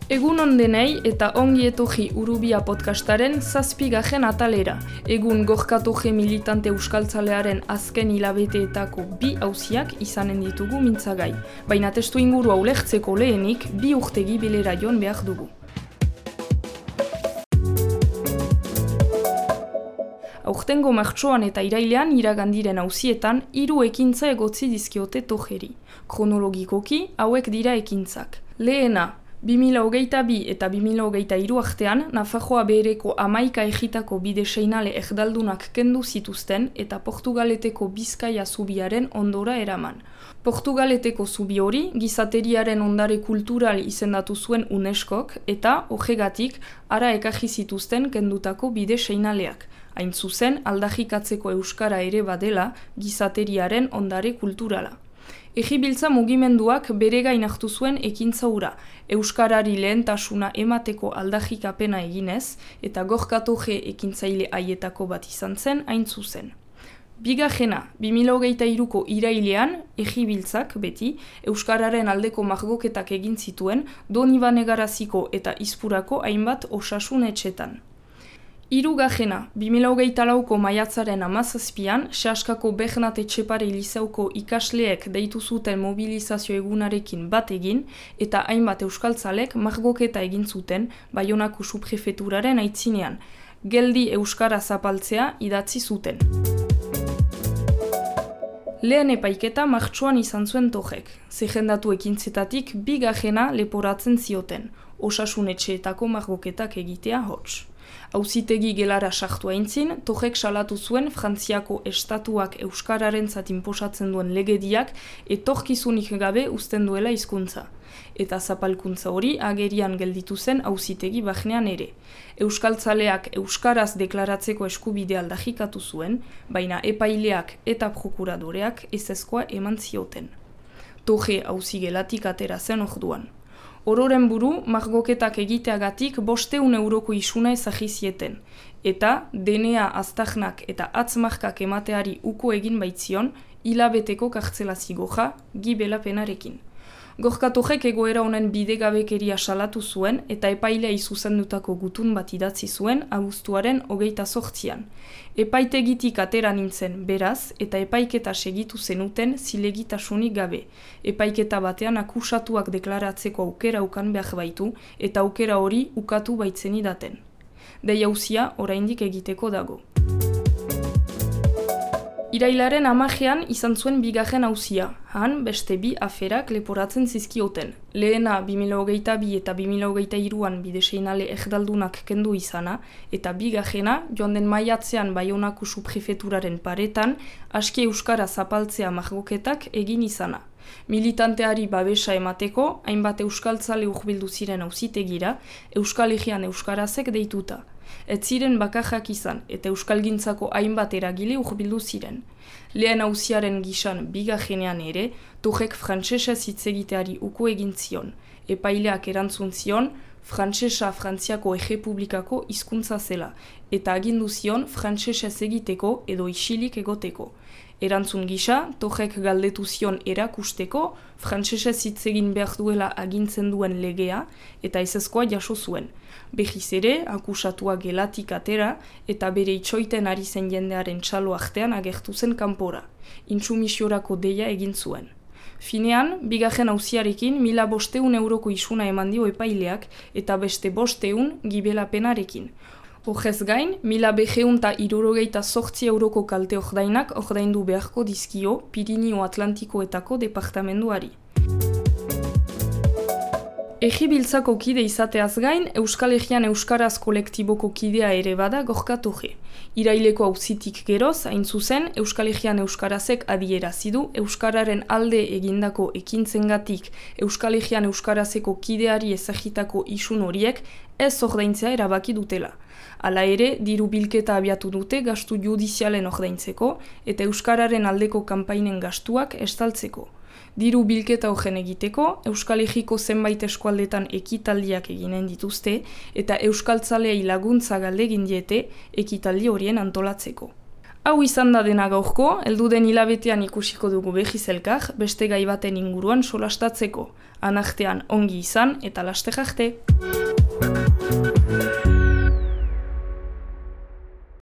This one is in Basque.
Egun on denei eta ongi etorri Urubia podcastaren 7. atalera. Egun gorkatoje militante euskaltzalearen azken hilabeteetako 2 auziak izanen ditugu mintzagai. Baina testu ingurua ulertzeko lehenik 2 urtegi bilera joan behar dugu. Aurtengo martxoan eta irailean iragandiren auzietan 3 ekintza egotzi dizkiote tojeri. Kronologikoki hauek dira ekintzak. Lehena, 2022 eta 2023 artean, Nafarroa behereko 11 egitako bide seinale erdaldunak kendu zituzten eta Portugaleteko Bizkaia zubiaren ondora eraman. Portugaleteko zubi hori gizateriaren ondare kultural izendatu zuen UNESCOk eta horregatik ara ekarri zituzten kendutako bide seinaleak. Hain zuzen, aldarrikatzeko euskara ere badela gizateriaren ondare kulturala. Egibiltza mugimenduak bere gain hartu zuen ekintza hura, euskarari lehentasuna emateko aldarrikapena eginez eta gorkatoje ekintzaile haietako bat izan zen hain zuzen. Bigarrena, 2023ko irailean, egibiltzak beti, euskararen aldeko margoketak egin zituen Donibane Garaziko eta Izpurako hainbat osasun etxetan. Hirugarrena, 2024ko maiatzaren 17an, Seaskako Bernat Etxepare Lizeuko ikasleek deitu zuten mobilizazio egunarekin bat egin eta hainbat euskaltzalek margoketa egin zuten Baionako subprefeturaren aitzinean. Geldi euskara zapaltzea idatzi zuten. Lehen epaiketa martxoan izan zuen tojek. Zerrendatu ekintzetatik bigarrena leporatzen zioten, osasun etxeetako margoketak egitea hots. Auzitegi gelara sartu aintzin, tojek salatu zuen Frantziako estatuak euskararentzat inposatzen duen legediak etorkizunik gabe uzten duela hizkuntza. Eta zapalkuntza hori agerian gelditu zen auzitegi barnean ere. Euskaltzaleak euskaraz deklaratzeko eskubidea aldarrikatu zuen, baina epaileak eta prokuradoreak ezezkoa eman zioten. Toje auzigelatik atera zen orduan. Ororen buru, margoketak egiteagatik 500 euroko isuna ezagizieten, eta DNA aztarnak eta atzmarkak emateari uko egin baitzion, hilabeteko kartzela zigoja, gibela penarekin. Gorkatojek egoera honen bidegabekeria salatu zuen eta epailea izuzendutako gutun bat idatzi zuen abuztuaren 28an. Epaitegitik atera nintzen beraz eta epaiketa segitu zenuten zilegitasunik gabe. Epaiketa batean akusatuak deklaratzeko aukera ukan behar baitu eta aukera hori ukatu baitzenidaten. Dei auzia oraindik egiteko dago. Irailaren 10ean izan zuen bigarren auzia, han beste 2 aferak leporatzen zizkioten. Lehena 2022 eta 2023an bide seinale erdaldunak kendu izana, eta bigarrena joan den maiatzean Baionako subprefeturaren paretan aski euskara zapaltzea margoketak egin izana. Militanteari babesa emateko, hainbat euskaltzale hurbildu ziren auzitegira, Euskal Herrian euskarazek deituta. Ez ziren bakarrak izan eta euskalgintzako hainbat eragile hurbildu ziren. Lehen auziaren gisan bigarrenean ere, tojek frantsesez hitz egiteari uko egin zion. Epaileak erantzun zion, frantsesa Frantziako Errepublikako hizkuntza zela, eta agindu zion frantsesez egiteko edo isilik egoteko. Erantzun gisa, tojek galdetu zion erakusteko, frantsesez hitz egin behar duela agintzen duen legea eta ezezkoa jaso zuen. Behiz ere, akusatua gelatik atera eta bere itxoiten ari zen jendearen txalo artean agertu zen kanpora. Intsumisiorako deia egin zuen. Finean, bigarren auziarekin 1500 euroko isuna eman dio epaileak eta beste 500 gibela penarekin. Horrez gain, 1268 euroko kalte ordainak ordaindu beharko dizkio Pirinio Atlantikoetako departamenduari. Egibiltzako kide izateaz gain, Euskal Herrian euskaraz kolektiboko kidea ere bada gorkatoje. Iraileko auzitik geroz, hain zuzen, Euskal Herrian euskarazek adierazi du euskararen alde egindako ekintzengatik Euskal Herrian euskarazeko kideari ezagitako isun horiek ez ordaintzea erabaki dutela. Hala ere, diru bilketa abiatu dute gastu judizialen ordaintzeko eta euskararen aldeko kanpainen gastuak estaltzeko. Diru bilketa horren egiteko, Euskal Herriko zenbait eskualdetan ekitaldiak eginen dituzte eta euskaltzaleei laguntza galdegin diete ekitaldi horien antolatzeko. Hau izan da dena gaurko, helduden hilabetean ikusiko dugu behiz elkar, beste gai baten inguruan solastatzeko. Anartean ongi izan eta laster arte.